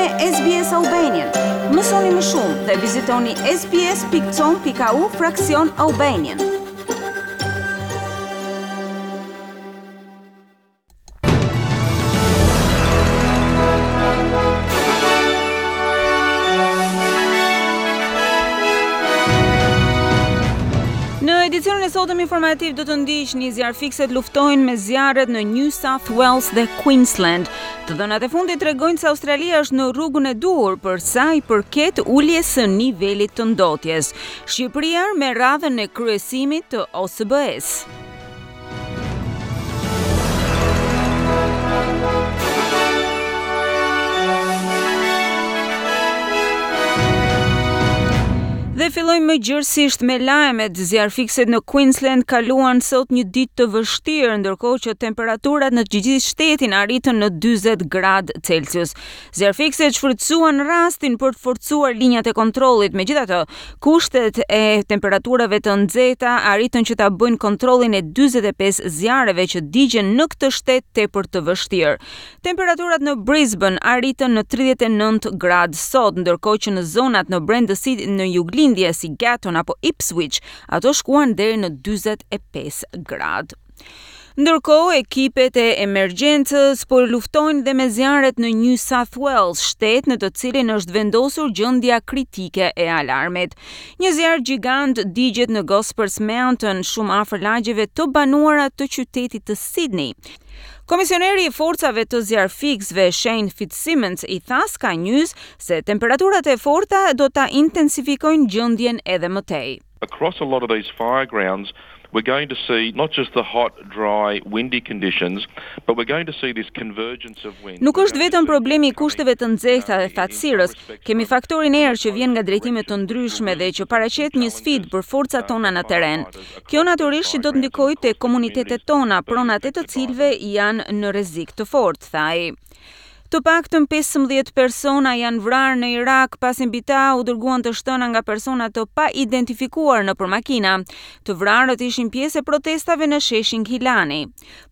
me SBS Albanian. Mësoni më shumë dhe vizitoni sbs.com.au fraksion Albanian. Në edicionin e sotëm informativ do të ndiqni zjarrfikëset luftojnë me zjarret në New South Wales dhe Queensland. Të dhënat e fundit tregojnë se Australia është në rrugën e duhur për sa i përket uljes së nivelit të ndotjes. Shqipëria me radhën e kryesimit të OSBE-së. Dhe fillojmë më gjerësisht me lajmet. Zjarrfikëset në Queensland kaluan sot një ditë të vështirë, ndërkohë që temperaturat në të gjithë shtetin arritën në 40 gradë Celsius. Zjarrfikëset shfrytëzuan rastin për të forcuar linjat e kontrollit. Megjithatë, kushtet e temperaturave të nxehta arritën që ta bëjnë kontrollin e 45 zjarreve që digjen në këtë shtet tepër të vështirë. Temperaturat në Brisbane arritën në 39 gradë sot, ndërkohë që në zonat në brendësi në juglindje si Gatton apo Ipswich, ato shkuan deri në 45 gradë. Ndërkohë, ekipet e emergjencës po luftojnë dhe me zjarret në New South Wales, shtet në të cilin është vendosur gjendja kritike e alarmit. Një zjarr gjigant digjet në Gospers Mountain, shumë afër lagjeve të banuara të qytetit të Sydney. Komisioneri i forcave të zjarrfikësve Shane Fitzsimmons i tha Sky News se temperaturat e forta do ta intensifikojnë gjendjen edhe më tej. Across a lot of these fire grounds, we're going to see not just the hot, dry, windy conditions, but we're going to see this convergence of wind. Nuk është vetëm problemi i kushteve të nxehta dhe thatësirës, kemi faktorin erë që vjen nga drejtime të ndryshme dhe që paraqet një sfidë për forcat tona në terren. Kjo natyrisht që do të ndikojë te komunitetet tona, pronat e të cilëve janë në rrezik të fortë, tha ai. Të paktën 15 persona janë vrarë në Irak pasi mbi ta u dërguan të shtëna nga persona të paidentifikuar nëpër makina. Të vrarët ishin pjesë e protestave në sheshin Gilani.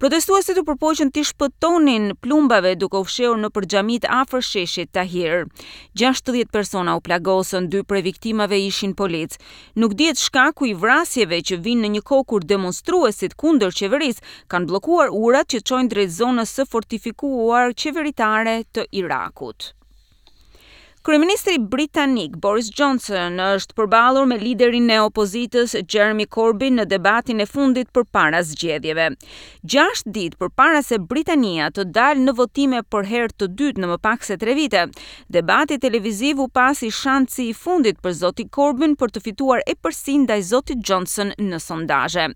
Protestuesit u përpoqën t'i shpëtonin plumbave duke u fshehur nëpër xhamitë afër sheshit Tahrir. 60 persona u plagosën, dy prej viktimave ishin policë. Nuk dihet shkaku i vrasjeve që vijnë në një kohë kur demonstruesit kundër qeverisë kanë bllokuar urat që çojnë drejt zonës së fortifikuar qeveritare të Irakut. Kryeministri britanik Boris Johnson është përballur me liderin e opozitës Jeremy Corbyn në debatin e fundit përpara zgjedhjeve. 6 ditë përpara se Britania të dalë në votime për herë të dytë në më pak se 3 vite, debati televiziv u pa si shansi i fundit për zotin Corbyn për të fituar epërsinë ndaj zotit Johnson në sondazhe.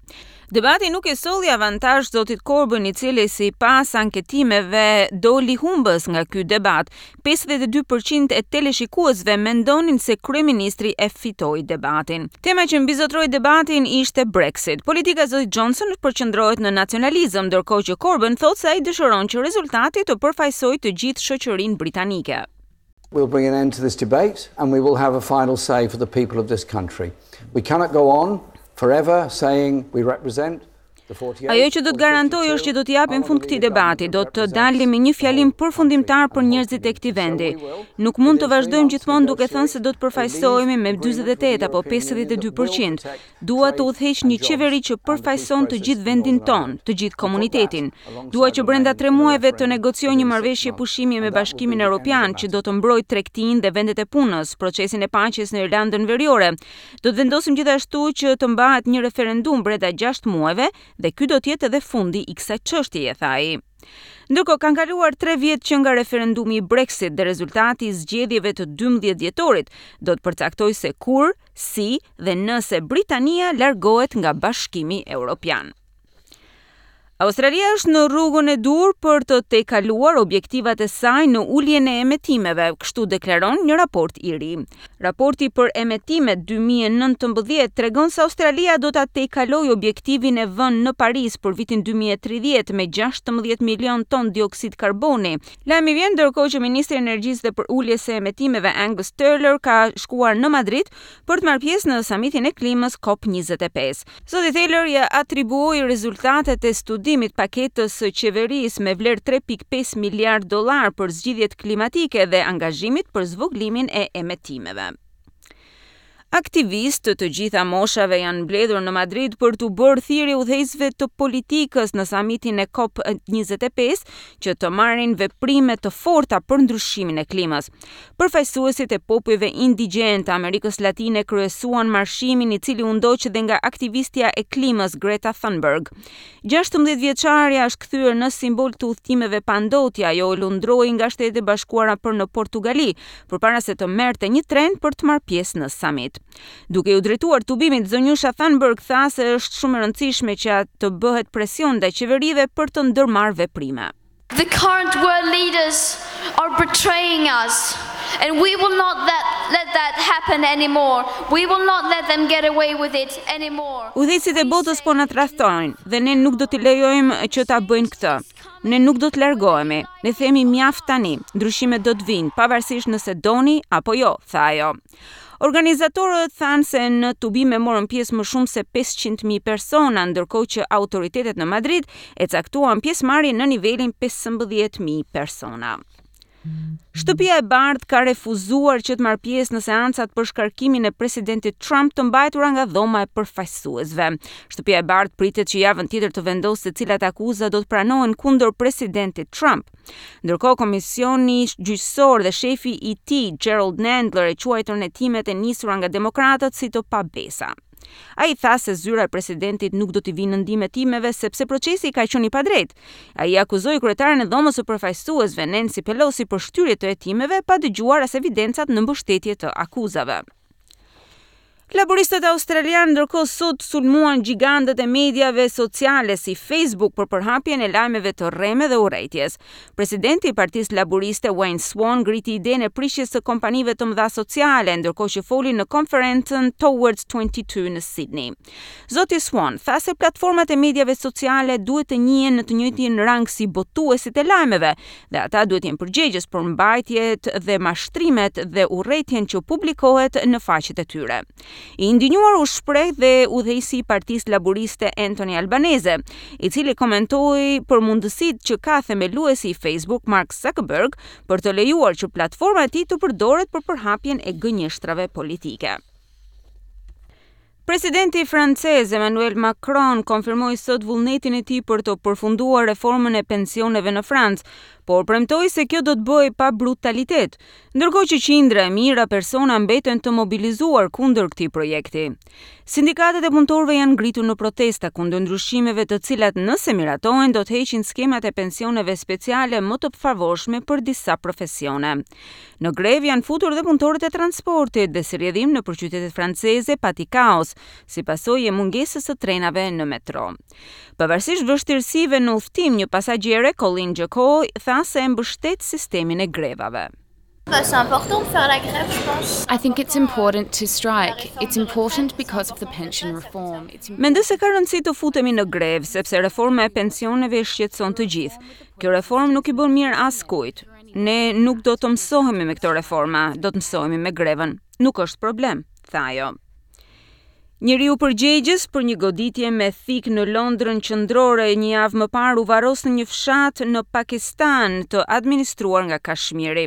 Debati nuk i solli avantazh zotit Corbyn, i cili sipas anketimeve doli humbës nga ky debat. 52% e teleshikuesve mendonin se kryeministri e fitoi debatin. Tema që mbizotëroi debatin ishte Brexit. Politika e zotit Johnson përqendrohet në nacionalizëm, ndërkohë që Corbyn thotë se ai dëshiron që rezultati të përfaqësojë të gjithë shoqërinë britanike. We'll bring an end to this debate and we will have a final say for the people of this country. We cannot go on forever saying we represent Ajo që do të garantoj është që do t'i japim fund këtij debati, do të dalim me një fjalim përfundimtar për njerëzit e këtij vendi. Nuk mund të vazhdojmë gjithmonë duke thënë se do të përfaqësohemi me 48 apo 52%. Dua të udhëheq një qeveri që përfaqëson të gjithë vendin tonë, të gjithë komunitetin. Dua që brenda tre muajve të negocioj një marrëveshje pushimi me Bashkimin Evropian që do të mbrojë tregtinë dhe vendet e punës, procesin e paqes në Irlandën Veriore. Do të vendosim gjithashtu që të mbahet një referendum brenda 6 muajve dhe ky do të jetë edhe fundi i kësaj çështjeje, tha ai. Ndërkohë kanë kaluar 3 vjet që nga referendumi i Brexit dhe rezultati i zgjedhjeve të 12 dhjetorit do të përcaktojë se kur, si dhe nëse Britania largohet nga Bashkimi Evropian. Australia është në rrugën e duhur për të tejkaluar objektivat e saj në uljen e emetimeve, kështu deklaron një raport i ri. Raporti për emetimet 2019 tregon se Australia do ta tejkalojë objektivin e vënë në Paris për vitin 2030 me 16 milion ton dioksid karboni. Lajmi vjen ndërkohë që ministri i Energjisë dhe për uljes së emetimeve Angus Taylor ka shkuar në Madrid për të marrë pjesë në samitin e klimës COP25. Zoti Taylor ia atribuoi rezultatet e studimit. përfundimit paketës së qeverisë me vlerë 3.5 miliardë dollarë për zgjidhjet klimatike dhe angazhimit për zvogëlimin e emetimeve. Aktivistë të të gjitha moshave janë mbledhur në Madrid për t'u bërë thirrje udhëheqësve të politikës në samitin e COP25 që të marrin veprime të forta për ndryshimin e klimës. Përfaqësuesit e popujve indigjenë të Amerikës Latine kryesuan marshimin i cili u ndoq dhe nga aktivistja e klimës Greta Thunberg. 16 vjeçarja është kthyer në simbol të udhëtimeve pa ndotje, ajo lundroi nga Shtetet e Bashkuara për në Portugali, përpara se të merrte një tren për të marrë pjesë në samit. Duke iu drejtuar tubimit, zonjusha Thunberg tha se është shumë e rëndësishme që të bëhet presion ndaj qeverive për të ndërmarrë veprime. The current world leaders are betraying us and we will not that, let that happen anymore. We will not let them get away with it anymore. Udhëheqësit e botës po na tradhtojnë dhe ne nuk do t'i lejojmë që ta bëjnë këtë. Ne nuk do të largohemi. Ne themi mjaft tani. Ndryshimet do të vijnë, pavarësisht nëse doni apo jo, tha ajo. Organizatorët thanë se në tubime morën pjesë më shumë se 500.000 persona, ndërkohë që autoritetet në Madrid e caktuan pjesëmarrjen në nivelin 15.000 persona. Shtëpia e Bardhë ka refuzuar që të marrë pjesë në seancat për shkarkimin e presidentit Trump të mbajtura nga dhoma e përfaqësuesve. Shtëpia e Bardhë pritet që javën tjetër të vendosë se cilat akuza do të pranohen kundër presidentit Trump. Ndërkohë, komisioni gjyqësor dhe shefi i tij, Jerrold Nadler, e quajtën hetimet e nisura nga demokratët si të pabesa. Ai tha se zyra e presidentit nuk do t'i vijë në ndihmë hetimeve sepse procesi ka qenë i padrejtë. Ai akuzoi kryetaren e dhomës së përfaqësuesve Nancy Pelosi për shtyrje të hetimeve pa dëgjuar as evidencat në mbështetje të akuzave. Laboristët australianë ndërkohë sot sulmuan gjigantët e mediave sociale si Facebook për përhapjen e lajmeve të rreme dhe urrejtjes. Presidenti i Partisë Laboriste Wayne Swan ngriti idenë e prishjes së kompanive të mëdha sociale, ndërkohë që foli në konferencën Towards 22 në Sydney. Zoti Swan tha se platformat e mediave sociale duhet të njihen në të njëjtin rang si botuesit e lajmeve dhe ata duhet të jenë përgjegjës për mbajtjet dhe mashtrimet dhe urrejtjen që publikohet në faqet e tyre. I indinjuar u shpreh dhe udhëheqësi i Partisë Laboriste Anthony Albanese, i cili komentoi për mundësitë që ka themeluesi i Facebook Mark Zuckerberg për të lejuar që platforma e tij të përdoret për përhapjen e gënjeshtrave politike. Presidenti francez Emmanuel Macron konfirmoi sot vullnetin e tij për të përfunduar reformën e pensioneve në Francë, por premtoi se kjo do të bëhej pa brutalitet, ndërkohë që qindra e mijëra persona mbeten të mobilizuar kundër këtij projekti. Sindikatat e punëtorëve janë ngritur në protesta kundër ndryshimeve të cilat nëse miratohen do të heqin skemat e pensioneve speciale më të favorshme për disa profesione. Në grevë janë futur dhe punëtorët e transportit dhe si rrjedhim nëpër qytetet franceze pati kaos, si pasojë e mungesës së trenave në metro. Pavarësisht vështirësive në udhëtim, një pasagjere, Colin Jacoy, tha se e mbështet sistemin e grevave. C'est important de faire la grève, je pense. I think it's important to strike. It's important because of the pension reform. It's Mendoj se ka rëndësi të futemi në grevë, sepse reforma e pensioneve i shqetëson të gjithë. Kjo reformë nuk i bën mirë askujt. Ne nuk do të mësohemi me këto reforma, do të mësohemi me grevën. Nuk është problem, tha ajo. Njeriu përgjegjës për një goditje me thikë në Londrën qendrore një javë më parë u varros në një fshat në Pakistan të administruar nga Kashmiri.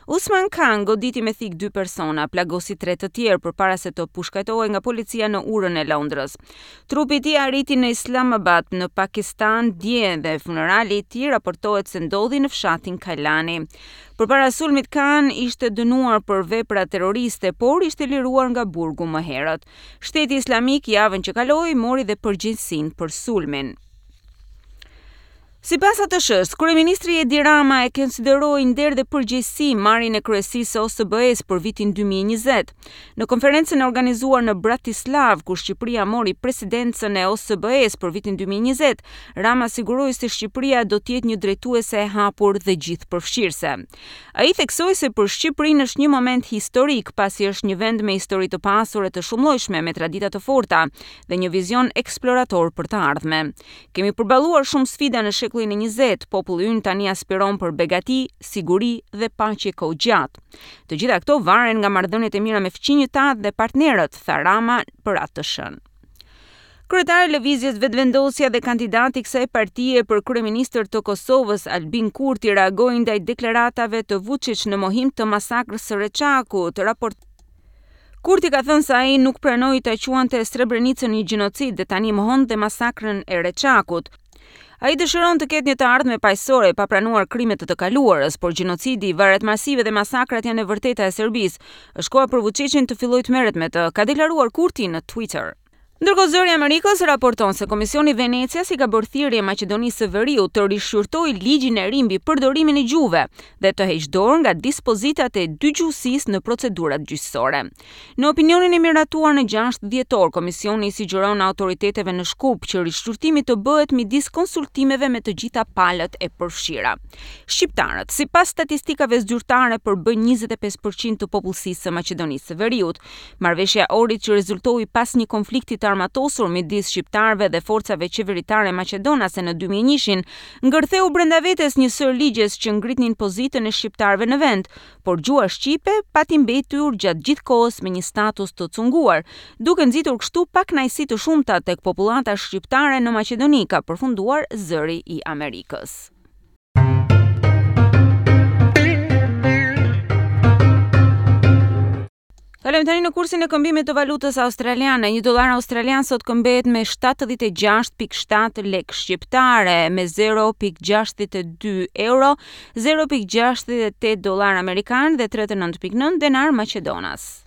Usman Khan goditi me thikë dy persona, plagosi tre të tjerë përpara se të pushkatohej nga policia në urën e Londrës. Trupi i tij arriti në Islamabad në Pakistan dje dhe funerali i tij raportohet se ndodhi në fshatin Kailani. Përpara sulmit Khan ishte dënuar për vepra terroriste, por ishte liruar nga burgu më herët. Shteti Islamik javën që kaloi mori dhe përgjegjësinë për sulmin. Sipas ATSH-s, kryeministri Edi Rama e konsideroi nder dhe përgjegjësi marrjen e kryesisë së OSBE-s për vitin 2020. Në konferencën e organizuar në Bratislav, ku Shqipëria mori presidencën e OSBE-s për vitin 2020, Rama siguroi se Shqipëria do të jetë një drejtuese e hapur dhe gjithëpërfshirëse. Ai theksoi se për Shqipërinë është një moment historik, pasi është një vend me histori të pasur e të shumëllojshme, me tradita të forta dhe një vizion eksplorator për të ardhme. Kemi përballuar shumë sfida në shekullin e 20, populli ynë tani aspiron për begati, siguri dhe paqe kohëgjatë. Të gjitha këto varen nga marrëdhëniet e mira me fqinjët tanë dhe partnerët, tha Rama për ATSH-n. Kryetari i Lëvizjes Vetëvendosja dhe kandidati i kësaj partie për kryeministër të Kosovës, Albin Kurti reagoi ndaj deklaratave të Vuçiç në mohim të masakrës së Reçakut. Raport Kurti ka thënë se ai nuk pranoi ta quante Srebrenicën një gjenocid dhe tani mohon dhe masakrën e Reçakut. Ai dëshiron të ketë një të ardhme paqësore pa pranuar krimet e të kaluarës, por gjenocidi, varret masive dhe masakrat janë e vërteta e Serbisë. Është koha për Vuçiçin të fillojë të merret me të, ka deklaruar Kurti në Twitter. Ndërkohë Zëri i Amerikës raporton se Komisioni i Venecias i ka bërë thirrje Maqedonisë së Veriut të rishqyrtojë ligjin e ri mbi përdorimin e gjuhëve dhe të heqë dorë nga dispozitat e dygjuhësisë në procedurat gjyqësore. Në opinionin e miratuar në 6 dhjetor, Komisioni i sugjeron autoriteteve në Shkup që rishqyrtimi të bëhet midis konsultimeve me të gjitha palët e përfshira. Shqiptarët, sipas statistikave zyrtare, përbëjnë 25% të popullsisë së Maqedonisë së Veriut. Marrëveshja e Ohrit që rezultoi pas një konflikti të armatosur midis shqiptarëve dhe forcave qeveritare maqedonase në 2001-shin, ngërtheu brenda vetes një sërë ligjesh që ngritnin pozitën e shqiptarëve në vend, por gjuha shqipe pati mbetur gjatë gjithë kohës me një status të cunguar, duke nxitur kështu pakënaqësi të shumta tek popullata shqiptare në Maqedoni, ka përfunduar Zëri i Amerikës. Kalojmë tani në kursin e këmbimit të valutës australiane. Një dollar australian sot këmbehet me 76.7 lekë shqiptare, me 0.62 euro, 0.68 dollar amerikan dhe 39.9 denar maqedonas.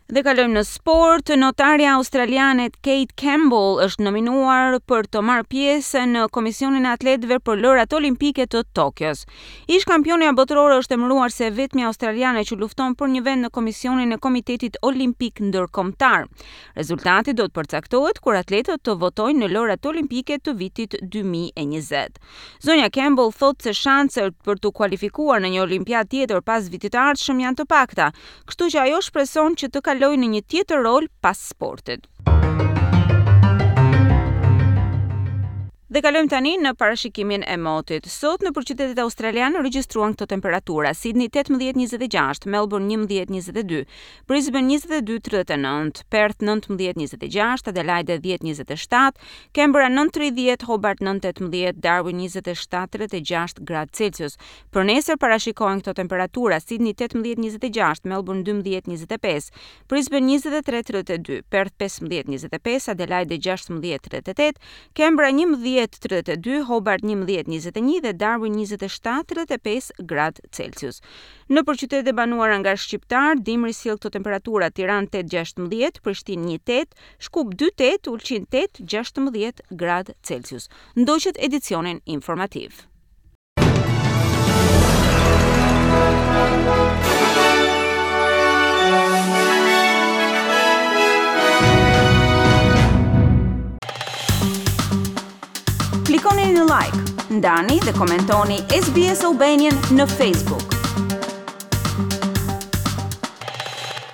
Dhe kalojmë në sport. Notarja australiane Kate Campbell është nominuar për të marrë pjesë në Komisionin e Atletëve për Lojërat Olimpike të Tokios. Ish kampionia botërore është emëruar si e vetmja australiane që lufton për një vend në Komisionin e Komitetit Olimpik Ndërkombëtar. Rezultati do të përcaktohet kur atletët të votojnë në Lojërat Olimpike të vitit 2020. Zonja Campbell thotë se shanset për t'u kualifikuar në një olimpiadë tjetër pas vitit të ardhshëm janë të pakta, kështu që ajo shpreson që të kalojë në një tjetër rol pas sportit. Dhe kalojmë tani në parashikimin e motit. Sot nëpër qytetet australiane u regjistruan këto temperatura: Sydney 18-26, Melbourne 11-22, Brisbane 22-39, Perth 19-26, Adelaide 10-27, Canberra 9-30, Hobart 9-18, Darwin 27-36 gradë Celsius. Për nesër parashikohen këto temperatura: Sydney 18-26, Melbourne 12-25, Brisbane 23-32, Perth 15-25, Adelaide 16-38, Canberra 11-32, Hobart 11-21 dhe Darwin 27-35 gradë Celsius. Nëpër qytetet e banuara nga shqiptarë, dimri sjell këto temperatura, Tiranë 8 16, Prishtinë 1 8, Shkup 2 8, Ulqin 8 16 gradë Celsius. Ndoqët edicionin informativ. Klikoni në like, ndani dhe komentoni SBS Albanian në Facebook.